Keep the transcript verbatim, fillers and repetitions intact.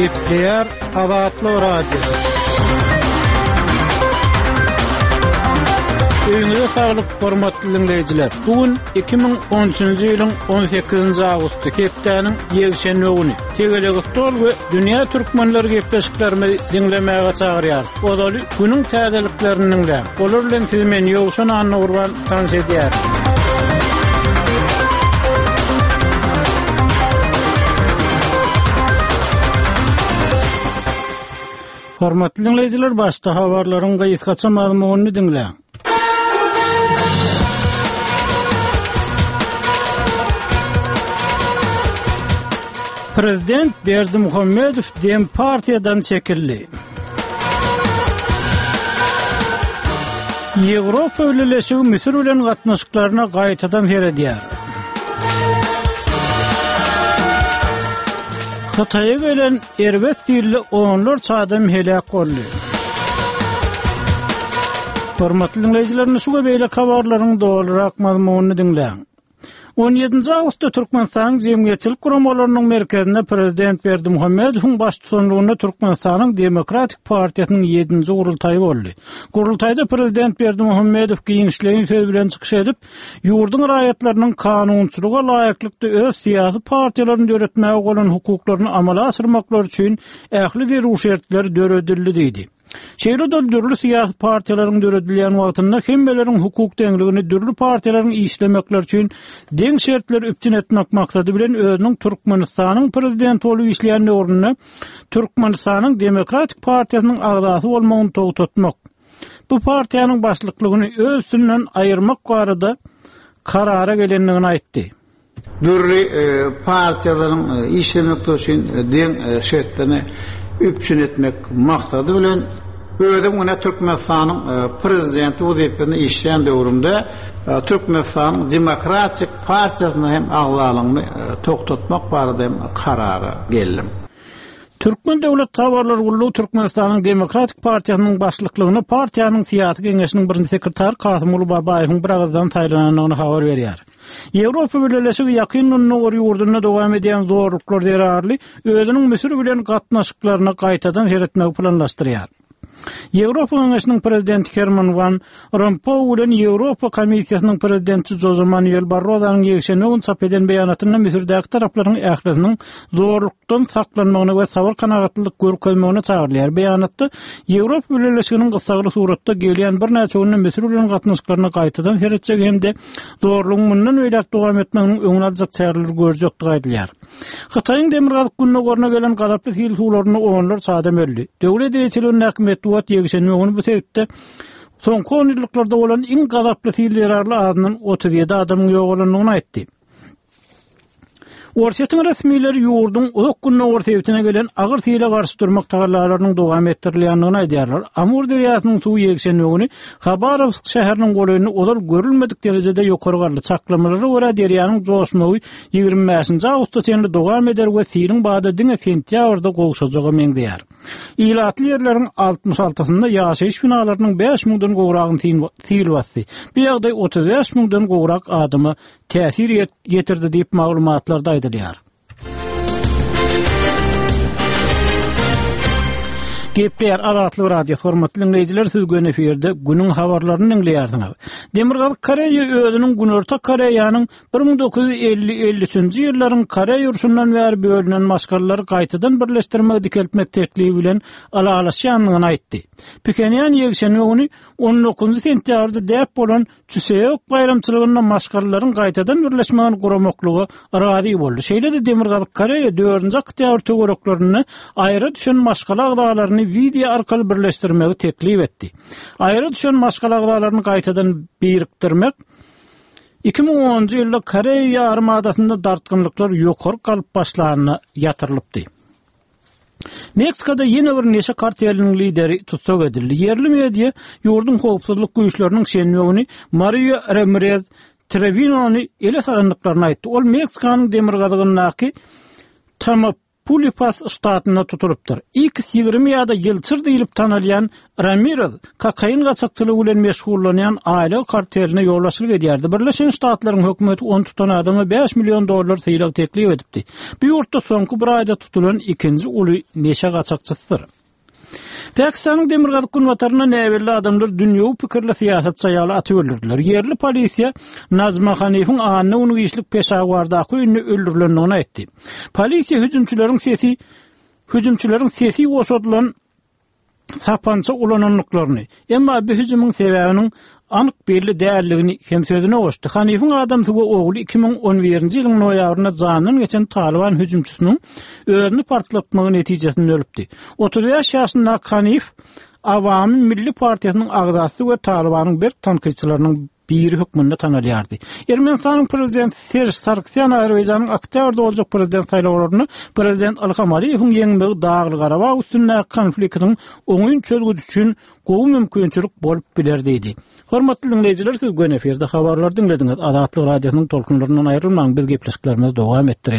Gepleýär Azatlyk Radiosy. Öýüňize saglyk, hormatly diňleýjiler. Bu gün iki müň on üçünji ýylyň on sekizinji awgusty, hepdäniň ýekşenbe güni. Tegelek stol we dünýä türkmenleri gepleşiklerimizi diňlemäge çagyrýar. Ozaly günüň täzeliklerini diňläň. Olar bilen sizi men Ýowşan Annagurban tanyş edýär. Hormatly diňleýjiler, başda habarlaryň gysgaça mazmunyny diňläň. Prezident Berdimuhamedow Dem partiýadan çekildi. Ýewropa Bileleşigi Müsür bilen gatnaşyklaryna gaýtadan seredýär. Hytaýa gelen erbet silde onlarça adam heläk boldy. Hormatly diňleýjiler, şu we beýleki habarlaryň dolurak mazmunyny diňläň. On ýedinji awgustda Türkmenistanyň Jemgyýetçilik guramalarynyň merkezinde Prezident Berdimuhamedowyň baştutanlygynda Türkmenistanyň Demokratik partiýasynyň ýedinji gurultaýy boldy. Gurultaýda Prezident Berdimuhamedow giňişleýin söz bilen çykyş edip, ýurduň raýatlarynyň kanunçylyga laýyklykda öz syýasy partiýalaryny döretmäge bolan hukuklaryny amala aşyrmaklary üçin ähli zerur şertler döredildi diýdi. Şeýle-de dürli syýasy partiýalaryň döredilýän wagtynda hemmeleriň hukuk deňligini dürli partiýalaryň işlemekleri üçin deň şertleri üpjün etmek maksady bilen özüniň Türkmenistanyň prezidenti bolup işleýän döwründe Türkmenistanyň Demokratik partiýasynyň agzasy bolmagyny togtatmak, bu partiýanyň başlyklygyny öz üstünden aýyrmak barada karara gelendigini aýtdy. Dürli, e, partiýalaryň, e, işlemekleri üçin, e, deň, e, şertlerini üpjün etmek maksady bilen özüm güne Türkmenistanyň, e, prezidenti wezipesinde işleýän döwrümde, e, Türkmenistanyň Demokratik partiýasyna hem agzalygyny, e, togtatmak barada hem karara geldim. Türkmen Döwlet Habarlar Gullugy Türkmenistanyň Demokratik Partiýasynyň başlyklygyny partiýanyň syýasy geňeşiniň birinji sekretary Kasymguly Babaýewiň bir agyzdan saýlanandygyny habar berýär. Ýewropa Bileleşigi ýakyn Gündogar ýurdunda dowam edýän zorluklar zerarly özüniň Müsür bilen gatnaşyklaryny gaýtadan seretmegi planlaşdyrýar. Ýewropa Geňeşiniň prezidenti Herman Van Rompuy bilen Ýewropa Komissiýasynyň prezidenti Jose Manuel Barrozanyň ýekşenbe güni çap eden beýanatynda Müsürdäki taraplaryň ählisiniň zorlukdan saklanmagyna we sabyr kanagatlylyk görkezmegine çagyrylýar. Beýanatda Ýewropa Bileleşiginiň gyssagly suratda gelýän birnäçe günde Müsür bilen gatnaşyklaryny gaýtadan seretjegi hem-de zorlugyň mundan beýläk dowam etmeginiň öňüni aljak çäreleri görjekdigi aýdylýar. Hytaýyň demirgazyk gündogaryna gelen gazaply sil suwlarynda onlarça adam öldi. Döwlet eýeçiligindäki metbugat ýekşenbe güni bu sebitde soňky on ýyllyklarda bolan iň gazaply sil zerarly azyndan otuz ýedi adamyň ýogalandygyny aýtdy. Orsýetiň resmileri ýurduň uzak gündogar sebitine gelen agyr sile garşy durmak tagallalarynyň dowam etdirilýändigini aýdýarlar. Amur derýasynyň suwy ýekşenbe güni Habarowsk şäheriniň golaýynda ozal görülmedik derejede ýokary galdy. Çaklamalara görä derýanyň joşmagy ýigrimi bäşinji awgusta çenli dowam eder we siliň bady diňe sentýabrda gowşajaga meňzeýär. Ilatly ýerleriň altmyş altysynda ýaşaýyş binalarynyň bäş müňden gowragyny sil basdy. Bu ýagdaý otuz bäş müňden gowrak adama täsir ýet-, ýetirdi diýip maglumatlarda aýdylýar. Gepleýär Azatlyk Radiosy, hormatly diňleýjiler, siz göni efirde günüň habarlaryny diňleýärsiňiz. Demirgazyk Koreýa özüniň Günorta Koreýanyň bir müň dokuz ýüz elli elli üçünji ýyllaryň Koreýa urşundan bäri bölünen maşgalalary gaýtadan birleşdirmegi dikeltmek teklibi bilen ylalaşýandygyny aýtdy. Phenýan ýekşenbe güni on dokuzynjy sentýabrda däp bolan Çuseok baýramçylygynda maşgalalaryň gaýtadan birleşmegini guramaklyga razy boldy. Şeýle-de Demirgazyk Koreýa dördünji oktýabr töwereklerinde aýra düşen maşgala agzalaryny wideo arkaly birleşdirmegi teklip etdi. Aýra düşen maşgala agzalaryny gaýtadan birikdirmek iki müň onunjy ýylda Koreýa ýarymadasynda dartgynlyklar ýokary galyp başlanyna ýatyrylypdy. Meksikada ýene bir neşe karteliniň lideri tussag edildi. Ýerli media ýurduň howpsuzlyk güýçleriniň şenbe güni Mario Ramirez Trevinony ele salandyklaryny aýtdy. Ol Meksikanyň demirgazygyndaky Tamaulipas ştatynda tutulypdyr. X ýigrimi ýa-da Ýylçyr diýlip tanalýan Ramirez kokain gaçakçylygy bilen meşgullanýan aýlyk karteline ýolbaşçylyk edýärdi. Birleşen Ştatlaryň hökümeti ony tutan adama bäş million dollar sylag teklip edipdi. Bu ýurtda soňky bir aýda tutulan ikinji uly neşe gaçakçysydyr. Pakistanyň demirgazyk-günbatarynda näbelli adamlar dünýewi pikirli syýasatçy aýaly atyp öldürdiler. Ýerli polisiýa Najma Hanifiň anna güni giçlik Peşawardaky öýünde öldürilendigini aýtdy. Polisiýa hüjümçileriň sesi hüjümçileriň sesi boşadylan sapança ulanandyklaryny, emma bu hüjümiň sebäbiniň anyk belli däldigini hem sözüne goşdy. Hanifiň adamsy we ogly iki müň on birinji ýylyň noýabrynda jandan geçen Talyban hüjümçisiniň özüni partlatmagy netijesinde ölüpdi. Otuz bäş ýaşyndaky Hanif Awami Milli partiýasynyň agzasy we Talybanyň berk tankytçylarynyň biri hökmünde tanalýardy. Ermenistanyň prezidenti Serj Sargsýan Azerbaýjanyň oktýabrda boljak prezident saýlawlarynda prezident Ilham Aliýewiň ýeňmegi Dagly-Garabag üstündäki konfliktiň oňyn çözgüdi üçin gowy mümkinçilik bolup biler diýdi. Hormatly diňleýjiler, siz göni efirde habarlary diňlediňiz. Azatlyk Radiosynyň tolkunlaryndan aýrylmaň, biz gepleşiklerimizi dowam etdirýäris.